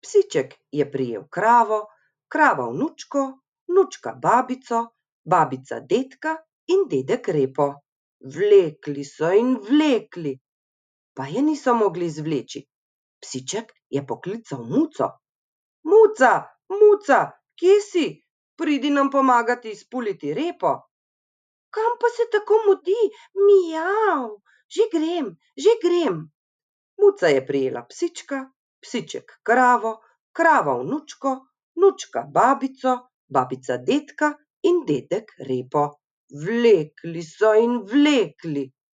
Psiček je prijel kravo, krava vnučko, vnučka babico, babica dedka in dedek repo. Vlekli so in vlekli, pa je niso mogli zvleči. Psiček je poklical Muco. Muca, Muca, kje si? Pridi nam pomagat izpuliti repo. Kam pa se tako mudi? Mijav, že grem, že grem. Muca je prijela psička, psiček kravo, krava vnučko, vnučka babico, babica dedka in dedek repo. Vlekli so in vlekli,